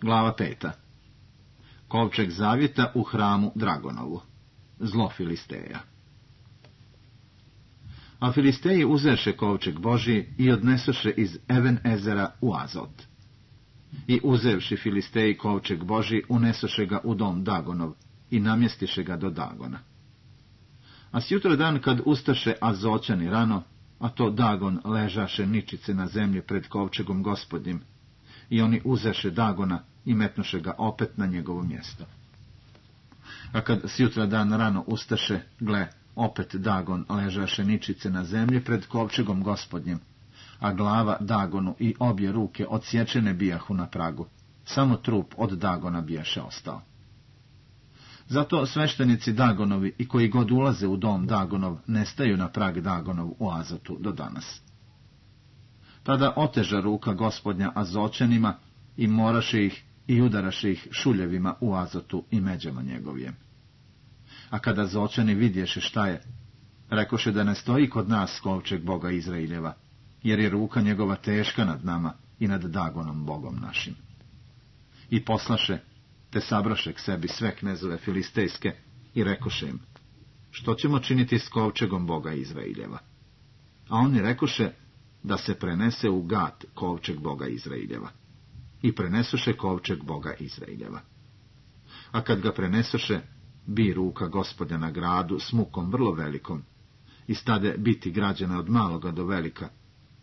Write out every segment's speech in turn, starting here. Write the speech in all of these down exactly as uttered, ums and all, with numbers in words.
Glava peta. Kovčeg zavjeta u hramu Dragonovu. Zlo Filisteja. A Filisteji uzeše kovčeg Božji i odnesoše iz Even Ezera u Azot. I uzevši Filisteji kovčeg Božji, unesoše ga u dom Dagonov i namjestiše ga do Dagona. A sjutra dan kad ustaše Azoćani rano, a to Dagon ležaše ničice na zemlji pred kovčegom Gospodnjim, i oni uzeše Dagona i metnuše ga opet na njegovo mjesto. A kad sjutra dan rano ustaše, gle, opet Dagon ležaše ničice na zemlji pred kovčegom Gospodnjim, a glava Dagonu i obje ruke odsječene bijahu na pragu, samo trup od Dagona bijaše ostao. Zato sveštenici Dagonovi i koji god ulaze u dom Dagonov nestaju na prag Dagonov u Azotu do danas. Tada oteža ruka Gospodnja Azoćanima i moraše ih i udaraše ih šuljevima u Azotu i međama njegovijem. A kada Azoćani vidješe šta je, rekoše da ne stoji kod nas kovčeg Boga Izraeljeva, jer je ruka njegova teška nad nama i nad Dagonom Bogom našim. I poslaše, te sabraše k sebi sve knezove filistejske i rekoše im, što ćemo činiti s kovčegom Boga Izraeljeva? A oni rekoše, da se prenese u Gat kovčeg Boga Izraeljeva. I prenesoše kovčeg Boga Izraeljeva. A kad ga prenesoše, bi ruka Gospodnja na gradu s mukom vrlo velikom, i stade biti građana od maloga do velika,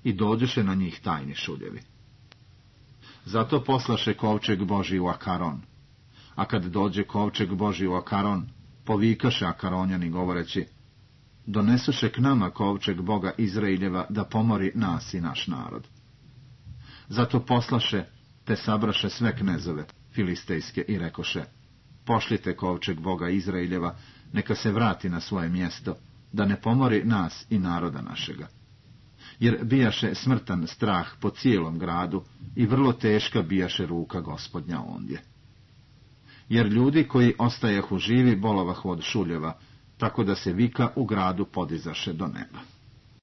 i dođeše na njih tajni šuljevi. Zato poslaše kovčeg Božji u Akaron, a kad dođe kovčeg Božji u Akaron, povikaše Akaronjani govoreći, donesoše k nama kovčeg Boga Izraeljeva da pomori nas i naš narod. Zato poslaše, te sabraše sve knezove filistejske i rekoše, pošljite kovčeg Boga Izraeljeva, neka se vrati na svoje mjesto, da ne pomori nas i naroda našega. Jer bijaše smrtan strah po cijelom gradu i vrlo teška bijaše ruka Gospodnja ondje. Jer ljudi koji ostajahu živi bolovahu od šuljeva, tako da se vika u gradu podizaše do neba.